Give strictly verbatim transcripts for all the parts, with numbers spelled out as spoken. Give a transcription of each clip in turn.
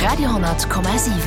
Radio honnert Komma siwen.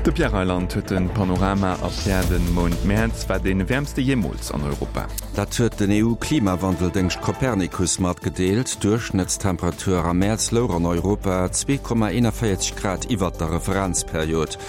De Pierre Reyland huet den Panorama erkläert. Den Mount Mäerz war dee wäermste jeemools an Europa. Dat huet den E U-Klimawandeldéngscht Copernicus matgedeelt. D'Duerchschnëttstemperatur am Mäerz louch an Europa zwee Komma eenanvéierzeg Grad iwwert der Referenzperiod.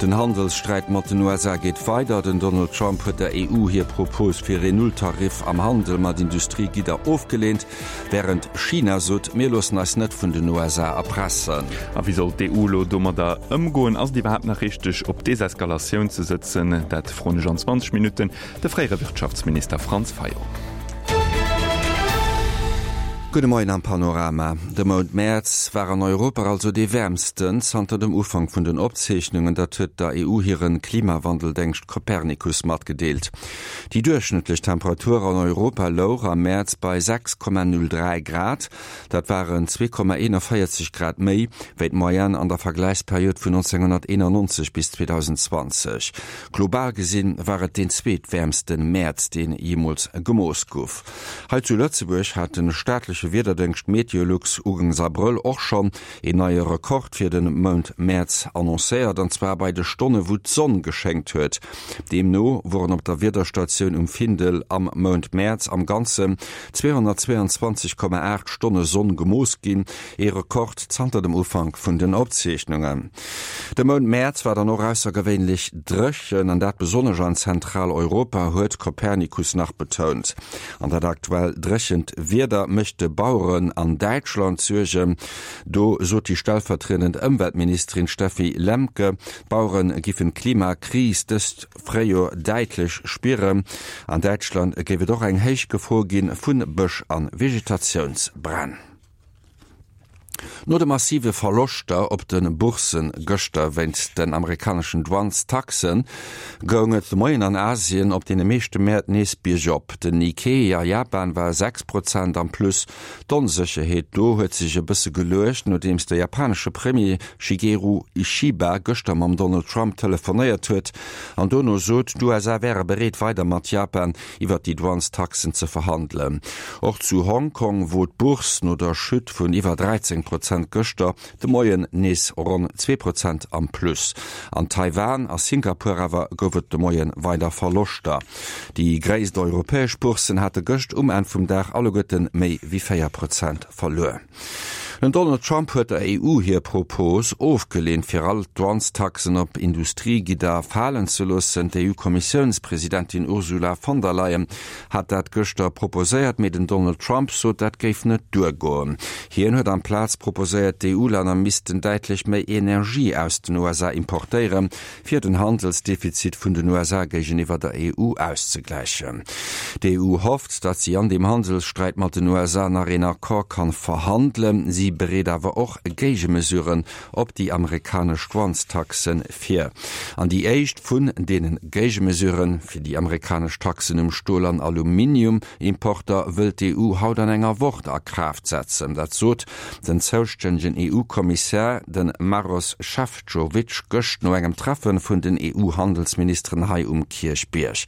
Den Handelssträit mat den U S A geet weider. Den Donald Trump huet der E U hir Propos fir een Nulltarif am Handel mat Industriegidder ofgeleent, wärend China sot, Mir loossen eis net vun den U S A erpressen. A wéi soll d'E U elo domadder ëmgoen? Ass et iwwerhaapt nach richteg, op Deseskalatioun ze sëtzen? Dat froen ech an zwanzeg Minutten de fréiere Wirtschaftsminister Franz Fayot. Gudde Moien am Panorama. De Mount Mäerz war an Europa also dee wäermsten zanter dem Ufank vun den Opzeechnungen, dat huet der E U hire Klimawandeldéngscht Copernicus matgedeelt. Déi duerchschnëttlech Temperatur an Europa louch am Mäerz bei sechs Komma null dräi Grad, dat waren zwee Komma eenanvéierzeg Grad méi wéi d'Moyenne an der Vergläichsperiod vun nonzénghonnerteenannonzeg bis zweedausendzwanzeg. Global gesinn war et deen zweetwäermste Mäerz, deen jeemools gemooss gouf. Hei zu Lëtzebuerg hat de staatleche Wiederdéngscht Meteolux ugangs Abrëll och schonn een neie Rekord fir de Mount Mäerz annoncéiert, an zwar bei de Stonne wou d'Sonn geschéngt huet. Deemno woren op der Wiederstatioun um Findel am Mount Mäerz am Ganzen zweehonnertzwéianzwanzeg Komma aacht Stonne Sonn gemooss ginn, ee Rekord zanter dem Ufank vun den Opzeechnungen. De Mount Mäerz war dann och aussergewéinlech dréchen, an dat besonnesch an Zentraleuropa, huet Copernicus nach betount. An dat aktuell dréchent Wieder mécht de Baueren an Däitschland Suergen. Do sot déi stellvertriedend Ëmweltministerin Steffi Lemke, d'Bauere giffen d'Klimakris dëst Fréijoer däitlech spieren. An Däitschland géif et och eng héich Gefor gi vu Bësch a Vegetatiounsbränn. No de massive Verloschter op de Bourssen gëschter wéinst den amerikaneschen Douanestaxen, goung et de Moien an Asien op deene meeschte Mäert nees biergop. Den Nikkei a Japan war sechs Prozent am Plus. D'Onsécherheet do huet sech e bësse geluecht, nodeems de japanesche Premier Shigeru Ishiba gëschter mam Donald Trump telefonéiert huet an dono sot, d'U S A wäre bereet weider mat Japan iwwer déi Douanestaxen ze verhandelen. Och zu Hongkong, wou d'Bourse no der Chute vun iwwer dräizéng Prozent gëschter de Moien nees ronn zwee Prozent am Plus. An Taiwan a Singapur awer gouf et de Moie weider Verloschter. Déi gréisst europäesch Bourssen hate gëscht um Enn vum Dag alleguerte méi wéi véier Prozent verluer. Den Donald Trump huet der E U hir Propos ofgeleent, fir all d'Douanestaxen op Industriegidder falen ze loossen. D'E U-Kommissiounspresidentin Ursula von der Leyen hat dat gëschter proposéiert, mee den Donald Trump sot, dat géif net duergoen. Hien huet amplaz proposéiert, d'E U-Länner missten däitlech méi Energie aus den U S A importéieren, fir den Handelsdefizit vun den U S A géigeniwwer der E U auszegläichen. D'E U hofft, datt si an deem Handelssträit mat den U S A nach een Accord kann verhandelen. Si bereet awer och Géigemesuren op déi amerikanesch Douanestaxen vir. An déi éischt vun deene Géigemesuren fir déi amerikanesch Taxen um Stol an Aluminiumimporter wëllt d'E U haut an enger Woch a Kraaft setzen. Dat sot den zoustännegen E U-Kommissär, de Maros Šefčovič, gëscht no engem Treffe vun den E U-Handelsministeren hei um Kierchbierg.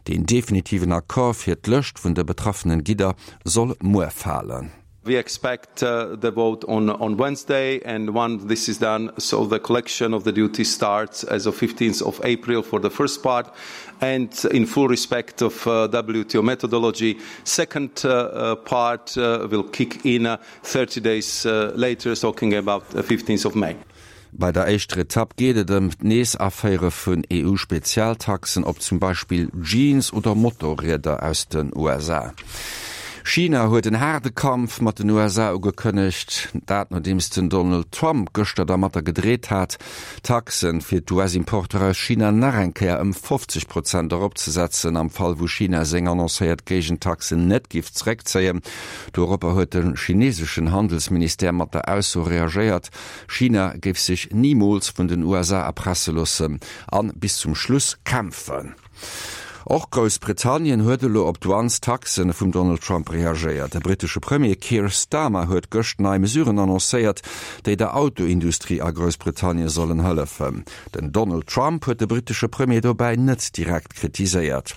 Den definitiven Accord fir d'Lëscht vun de betraffenen Gidder soll muer falen. We expect uh, the vote on, on Wednesday, and once this is done, so the collection of the duty starts as of fifteenth of April for the first part, and in full respect of uh, W T O methodology. Second uh, uh, part uh, will kick in uh, thirty days uh, later, talking about the fifteenth of May. Bei der éischter Etapp geet et ëm d'Nees-Aféiere vun E U-Spezialtaxen op zum Beispill Jeans oder Motorrieder aus den U S A. China huet en haarde Kampf mat den U S A ugekënnegt, dat nodeems den Donald Trump gëschter dermatter gedreet hat, Taxen fir d'U S-Importer aus China nach eng Kéier ëm fofzeg Prozent eropzesetzen, am Fall wou China seng annoncéiert Géigentaxen net géif zeréckzéien. Doropper huet de chineeseschen Handelsministère mat der Ausso reagéiert, China géif sech nimools vun den U S A erpresse loossen an bis zum Schluss kämpfen. Och Groussbritannien huet elo op d'Douanestaxen vum Donald Trump reagéiert. De brittesche Premier Keir Starmer huet gëscht nei Mesuren annoncéiert, déi der Autoindustrie a Groussbritannien sollen hëllefen. Den Donald Trump huet de brittesche Premier dobäi net direkt kritiséiert.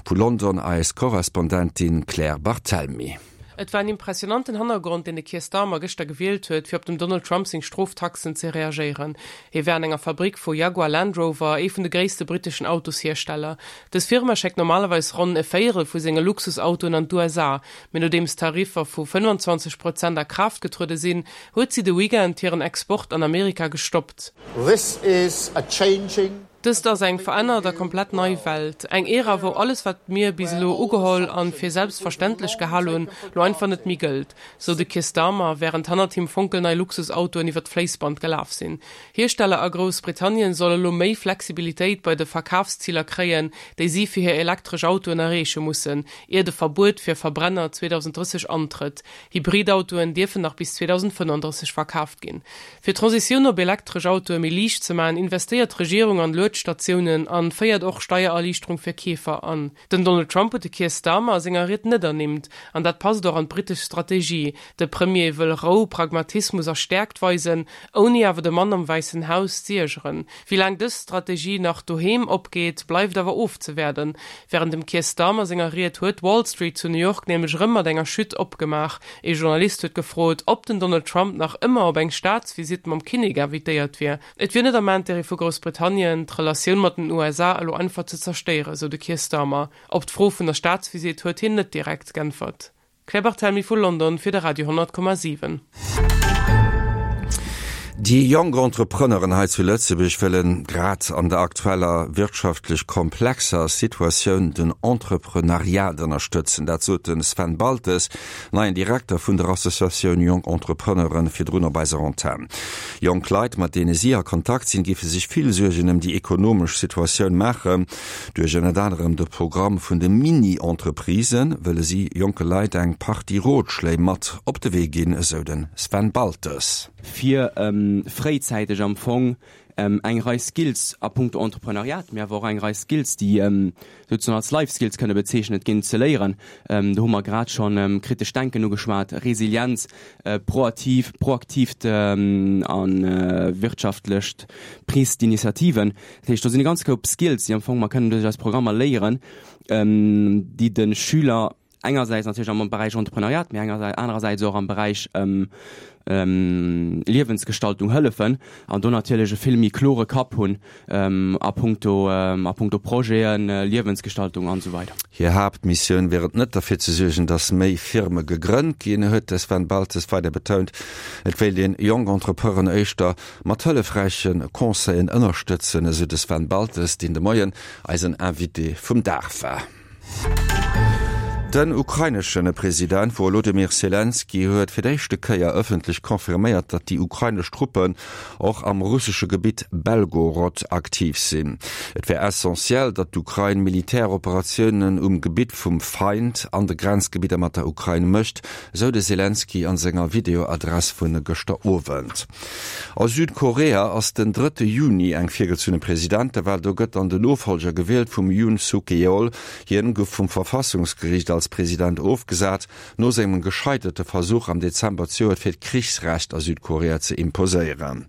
Vu London eis Korrespondentin Claire Barthelmy. Et war en impressionanten Hannergrond, deen de Keir Starmer gëschter gewielt huet, fir op dem Donald Trump seng Stroftaxen ze reagéieren. Hie war an enger Fabrick vu Jaguar Land Rover, ee vun de gréisste britteschen Autoshiersteller. Dës Firma schéckt normalerweis ronn e Véierel vu senge Luxusautoen an d'USA, mee nodeems Tariffer vu fënnwanzwanzeg Prozent a Kraaft getruede sinn, huet si de Weekend hiren Export an Amerika gestoppt. This is a changing. Dëst ass eng verännert a komplett nei Welt, eng Ära, wou alles, wat mir bis elo ugeholl an fir selbstverständlech gehal hunn, lo einfach net méi gëllt, sou de Keir Starmer, wärend hannert him fonkelnei Luxusautoen iwwer d'Fléissband gelaf sinn. Hiersteller a Groussbritannien solle lo méi Flexibilitéit bei de Verkafsziler kréien, déi si fir hir elektresch Autoen erreeche mussen, ier de Verbuet fir Verbrenner zweedausendrësseg antrëtt. Hybridautoen dierfen nach bis zweedausendfënnenddrësseg verkaaft ginn. Fir d'Transitioun op elektresch Autoe méi liicht ze maachen, investéiert d'Regierung an Luedstatiounen an féiert och Steiererliichterung fir Keefer an. Den Donald Trump huet de Keir Starmer a senger Ried net ernimmt, an dat passt och an d'brittesch Strategie. De Premier wëll Rou, Pragmatismus a Stäerkt weisen, ouni awer de Mann am Wäissen Haus z'iergeren. Wéi laang dës Strategie nach doheem opgeet, bleift awer ofzewaarden. Wärend dem Keir Starmer senger Ried huet d'Wall Street zu New York nämlech erëm mat enger Chute opgemaach. Ee Journalist huet gefrot, ob den Donald Trump nach ëmmer op eng Staatsvisitt mam Kinnek invitéiert wier. Et wier net am Interêt vu Groussbritannien, d'Relatioun mat den U S A elo einfach ze zerstéieren, sou de Keir Starmer. Op d'Fro vun der Staatsvisitt huet hien net direkt g'äntwert. Claire Barthelmy vu London fir de Radio honnert Komma siwen. Déi jonk Entrepreneuren hei zu Lëtzebuerg wëllen grad an der aktueller wirtschaftlech komplexer Situatioun den Entreprenariat ënnerstëtzen. Dat sot de Sven Baltes, neien Direkter vun der Associatioun Jonk Entrepreneuren, virdrun op eiser Antenn. Jonk Leit, mat deene si a Kontakt sinn, géife sech vill Suergen ëm déi ekonomesch Situatioun maachen. Duerch ënnert anerem de Programm vun de Mini-Entreprisen wëlle si jonke Leit eng Partie Rotschléi mat op de Wee ginn, esou de Sven Baltes. Fir fréizäiteg am Fong eng Rei Skills a punkto Entrepreneuriat, mee awer och eng Rei Skills, déi souzesoen als Life Skills kënne bezeechnet ginn, ze léieren. Do hu mer grad schonn kritescht Denken ugeschwat, Resilienz, proaktiv, proaktiivt a wirtschaftlecht Prise d'initiativen. Dat heescht, do sinn e ganz Koup Skills, déi am Fong mer kënnen duerch eis Programmer léieren, déi de Schüler engersäits natierlech am Beräich Entrepreneuriat, mee anerersäits och am Beräich Liewensgestaltung hëllefen an do natierlech e vill méi klore Kapp hunn a punkto a punkto Projeten, Liewensgestaltung an esou weider. Hir Haaptmissioun wier et net derfir ze suergen, datt méi Firme gegrënnt ginn, huet de Sven Baltes weider betount. Et wéilt een jonk Entrepreneuren éischter mat hëllefräiche Conseillen ënnerstëtzen, esou de Sven Baltes, deen de Moien eisen Invité vum Dag war. Den ukrainesche President Wolodymyr Selenskyj huet fir d'éischte Kéier ëffentlech confirméiert, datt déi ukrainesch Truppen och am russesche Gebitt Belgorod aktiv sinn. Et wär essentiell, datt d'Ukrain Militäroperatiounen um Gebitt vum Feind an de Grenzgebidder mat der Ukrain mécht, esou de Selenskyj an senger Videoadress vu gëschter Owend. A Südkorea ass den drëtte Juni eng virgezunne Presidentewal. Do gëtt dann den Nofollger gewielt vum Yoon Suk Yeol. Hien gouf vum Verfassungsgeriicht als President ofgesat, no sengem gescheiterte Versuch am Dezember zejoert fir d'Krichsrecht a Südkorea ze imposéieren.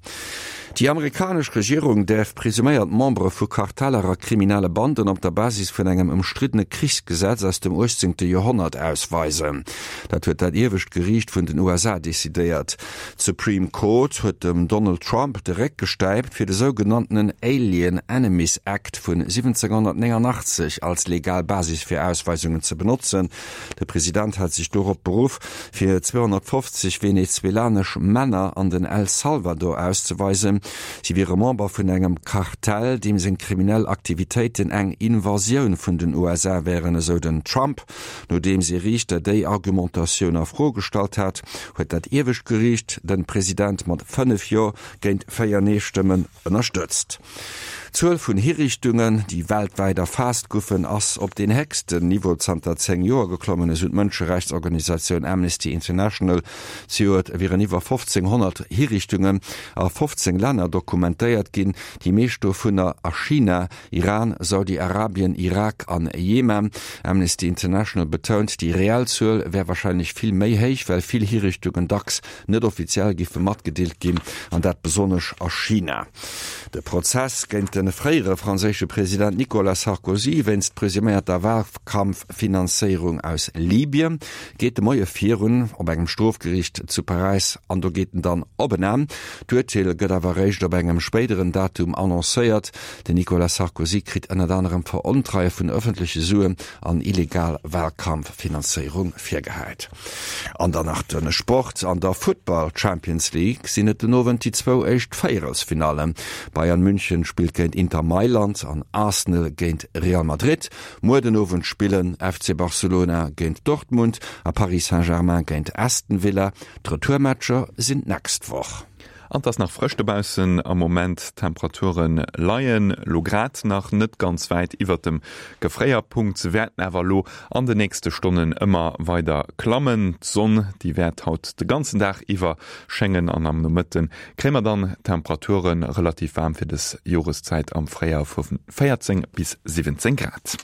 Déi amerikanesch Regierung däerf presuméiert Membere vu Karteller a kriminelle Banden op der Basis vun engem ëmstriddene Krichsgesetz aus dem uechtzéngte Joerhonnert ausweisen. Dat huet dat iewescht Geriicht vun den U S A decidéiert. D'Supreme Court huet dem Donald Trump de Réck gestäipt, fir de sougenanntenen Alien Enemies Act vun siwwenzénghonnertnéngannachtzeg als legal Basis fir Ausweisungen ze benotzen. De President hat sech dorop beruff, fir zweehonnertfofzeg venezuelanesch Männer an den El Salvador auszeweisen. Si wiere Member vun engem Kartell, deem seng kriminell Aktivitéiten eng Invasioun vun den U S A wären, esou den Trump. Nodeems ee Riichter déi Argumentatioun a Fro gestallt hat, huet dat iewescht Geriicht de President mat fënnef Jo géint véier Nee-Stëmmen ënnerstëtzt. D'Zuel vun Hiriichtungen, déi weltwäit erfaasst goufen, ass op deen héchsten Niveau zanter zéng Joer geklommen, esou d'Mënscherechtsorganisatioun Amnesty International. Zejoert wieren iwwer fofzénghonnert Hiriichtungen a fofzéng Länner Länner dokumentéiert ginn, déi meescht dovunner a China, Iran, Saudi-Arabien, Irak an Jemen. Amnesty International betount, déi reell Zuel wär warscheinlech vill méi héich, well vill Hiriichtungen dacks net offiziell géife matgedeelt ginn, an dat besonnesch a China. De Prozess géint de fréiere franséische President Nicolas Sarkozy wéinst presuméierter Walkampffinanzéierung aus Libyen geet de Moie virun op engem Strofgeriicht zu Paräis an do geet en dann op en Enn. D'Urteel gëtt awer eréischt op engem spéideren Datum annoncéiert. Den Nicolas Sarkozy kritt ënnert anerem Verontreie vun ëffentleche Suen an illegal Walkampffinanzéierung virgehäit. An dann nach de Sport, An der Futtball Champions League sinn et den Owend déi zwou éischt Véierelsfinallen. Bayern München spillt géint Inter Mailand an Arsenal géint Real Madrid. Muer den Owend spillen F C Barcelona géint Dortmund a Paris Saint-Germain géint Aston Villa. D'Retourmatcher sinn d'nächst Woch. An 't ass nach frësch dobaussen am Moment, d'Temperature leien lo grad nach net ganz wäit iwwert dem Gefréierpunkt, se wäerten awer lo an de nächste Stonnen ëmmer weider klammen. D'Sonn, déi wäert haut de ganzen Dag iwwer schéngen an am Nomëtte kréie mer dann Temperature relativ waarm fir dës Joreszäit am Fréijoer vu véierzéng bis siwwenzéng Grad.